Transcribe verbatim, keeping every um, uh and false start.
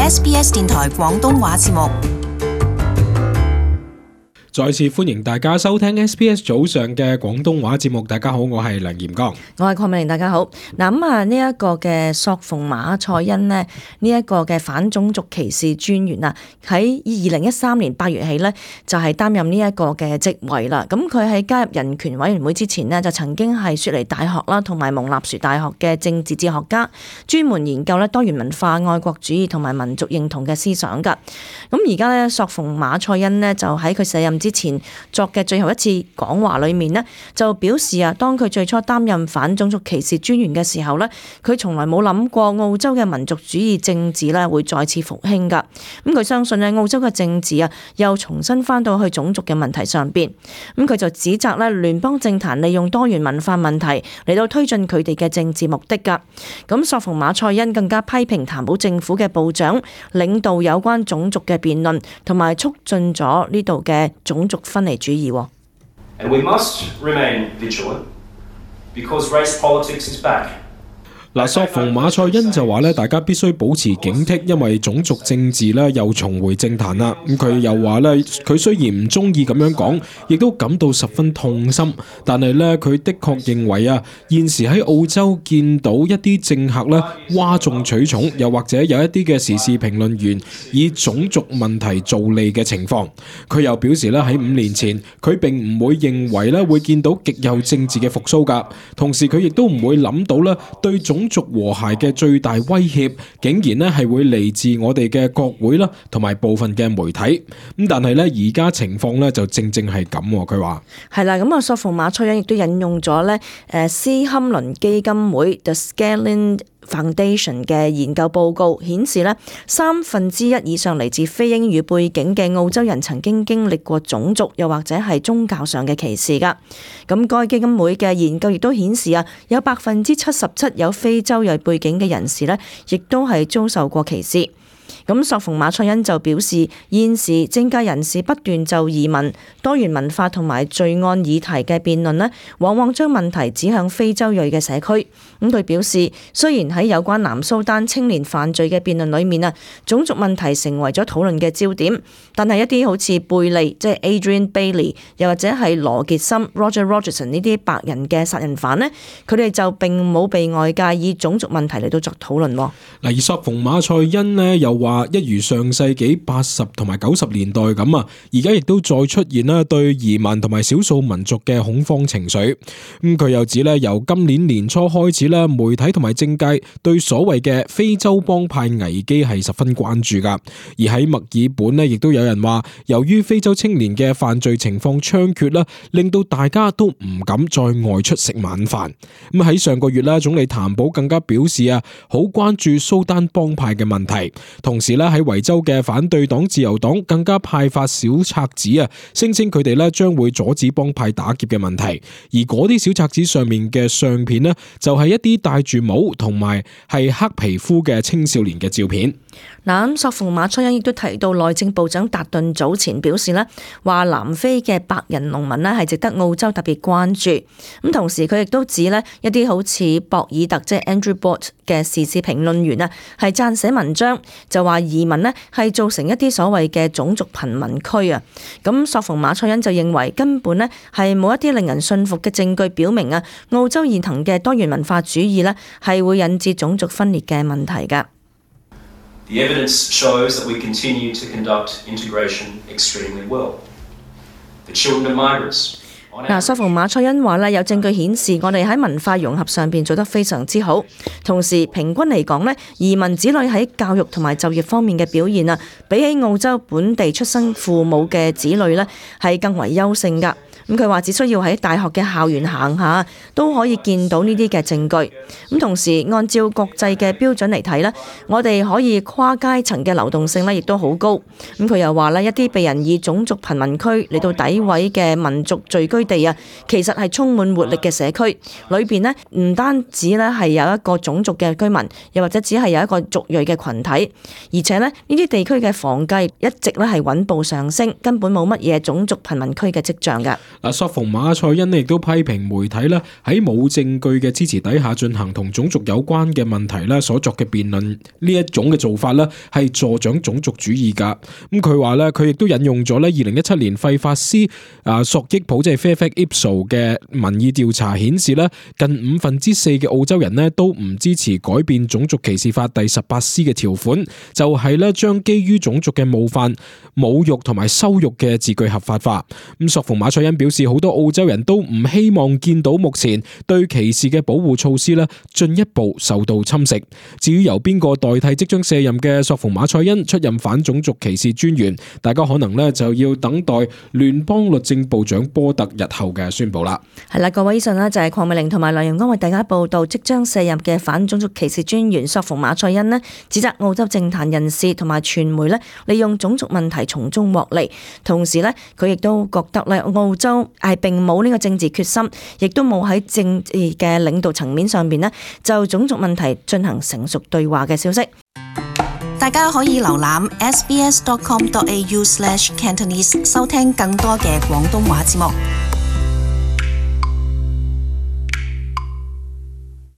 S B S 電台廣東話節目。再次歡迎大家收聽 S B S 早上嘅廣東話節目。大家好，我係梁炎剛，我係鄺美玲。大家好。嗱咁啊，呢一個嘅索馮馬賽恩呢，呢、這、一個嘅反種族歧視專員啊，喺二零一三年八月起呢，就係擔任呢一個嘅職位啦。咁佢喺加入人權委員會之前呢，就曾經係雪梨大學啦，同埋蒙納殊大學嘅政治哲學家，專門研究咧多元文化、愛國主義同埋民族認同嘅思想噶。咁而家呢，索馮馬賽恩呢，就喺佢卸任之前作嘅最後一次講話裏面呢，就表示啊，當佢最初擔任反種族歧視專員嘅時候呢，佢從來冇諗過澳洲嘅民族主義政治呢會再次復興噶。咁佢相信呢，澳洲嘅政治啊又重新翻到去種族嘅問題上邊。咁佢就指責呢聯邦政壇利用多元文化問題嚟到推進佢哋嘅政治目的噶。咁索馮馬賽恩更加批評譚寶政府嘅部長領導有關種族嘅辯論，同埋促進咗呢度嘅種族分離主義。And we must remain vigilant because race politics is back. 嗱，索馮馬賽恩就話咧，大家必須保持警惕，因為種族政治咧又重回政壇啦。咁佢又話咧，佢雖然唔中意咁樣講，亦都感到十分痛心，但係咧佢的確認為啊，現時喺澳洲見到一啲政客咧嘩眾取寵，又或者有一啲嘅時事評論員以種族問題做利嘅情況。佢又表示咧，喺五年前佢並唔會認為咧會見到極右政治嘅復甦㗎，同時佢亦都唔會諗到咧對種族和諧嘅最大威脅，竟然咧係會嚟自我哋嘅國會啦，同埋部分嘅媒體。咁但係咧而家情況咧就正正係咁。佢話係啦，咁啊索馮馬賽恩亦都引用咗咧誒斯堪倫基金會 The Scaling Foundation 嘅研究報告顯示咧，三分之一以上嚟自非英語背景嘅澳洲人曾經經歷過種族又或者係宗教上嘅歧視噶。咁該基金會嘅研究亦都顯示啊，有百分之七十七有非洲裔背景嘅人士咧，亦都係遭受過歧視。咁索馮馬賽恩就表示，現時政界人士不斷就移民、多元文化同埋罪案議題嘅辯論呢，往往將問題指向非洲裔嘅社區。咁佢表示，雖然喺有關南蘇丹青年犯罪嘅辯論裏面啊，種族問題成為咗討論嘅焦點，但係一啲好似貝利即係 Adrian Bailey，又或者係羅傑森 Roger Rogerson 呢啲白人嘅殺人犯呢，佢哋就並冇被外界以種族問題嚟到作討論。嗱，而索馮馬賽恩呢又話，一如上世紀八十同埋九十年代咁啊，而家亦都再出現啦對移民同埋少數民族嘅恐慌情緒。咁佢又指咧，由今年年初開始咧，媒體同埋政界對所謂嘅非洲幫派危機係十分關注噶。而喺墨爾本咧，亦都有人話，由於非洲青年嘅犯罪情況猖獗啦，令到大家都唔敢再外出食晚飯。咁喺上個月啦，總理譚寶更加表示啊，好關注蘇丹幫派嘅問題，同時咧喺維州嘅反對黨自由黨更加派發小冊子啊，聲稱佢哋咧將會阻止幫派打劫嘅問題。而嗰啲小冊子上面嘅相片呢，就係一啲戴住帽同埋係黑皮膚嘅青少年嘅照片。嗱，咁索馮馬賽恩亦都提到，內政部長達頓早前表示呢，話南非嘅白人農民呢係值得澳洲特別關注。咁同時佢亦都指呢，一啲好似博爾特即係 Andrew Bott 嘅時事評論員啊，係撰寫文章就話移民呢係造成一啲所謂嘅種族貧民區啊。咁索馮馬賽恩就認為根本呢係冇一啲令人信服嘅證據表明啊，澳洲現行嘅多元文化主義呢係會引致種族分裂嘅問題㗎。The evidence shows that we continue to conduct integration extremely well. The children of migrants. 嗱，索馮馬賽恩話咧，有證據顯示我哋喺文化融合上邊做得非常之好，同時平均嚟講咧，移民子女喺教育同埋就業方面嘅表現啊，比起澳洲本地出生父母嘅子女咧，係更為優勝㗎。咁佢話只需要喺大學嘅校園行下都可以見到呢啲嘅證據。咁同時按照國際嘅標準嚟睇咧，我哋可以跨階層嘅流動性咧，亦都好高。咁佢又話咧，一啲被人以種族貧民區嚟到詆毀嘅民族聚居地啊，其實係充滿活力嘅社區，裏邊呢唔單止咧係有一個種族嘅居民，又或者只係有一個族裔嘅群體，而且咧呢啲地區嘅房價一直咧係穩步上升，根本冇乜嘢種族貧民區嘅跡象㗎。嗱，索馮馬賽恩亦都批評媒體咧喺冇證據嘅支持底下進行同種族有關嘅問題咧所作嘅辯論，呢一種嘅做法咧係助長種族主義噶。咁佢話咧，佢亦都引用咗咧二零一七年費法斯啊索益普即係 Fairfax Ipsos 嘅民意調查顯示咧，近五分之四嘅澳洲人咧都唔支持改變種族歧視法第十八 C 嘅條款，就係咧將基於種族嘅冒犯、侮辱同埋羞辱嘅字句合法化。咁索馮馬賽恩表示，好多澳洲人都唔希望見到目前對歧視嘅保護措施咧進一步受到侵蝕。至於由邊個代替即將卸任嘅索馮馬賽恩出任反種族歧視專員，大家可能咧就要等待聯邦律政部長波特日後嘅宣佈啦。係啦，各位以上呢就係鄺美玲同埋梁陽光為大家報道即將卸任嘅反種族歧視專員索馮馬賽恩呢，指責澳洲政壇人士同埋傳媒呢利用種族問題從中獲利，同時呢，佢亦都覺得咧澳洲係並冇呢個政治決心，亦都冇喺政治嘅領導層面上邊呢就種族問題進行成熟對話嘅消息。大家可以瀏覽 s b s dot com dot a u slash cantonese 收聽更多嘅廣東話節目。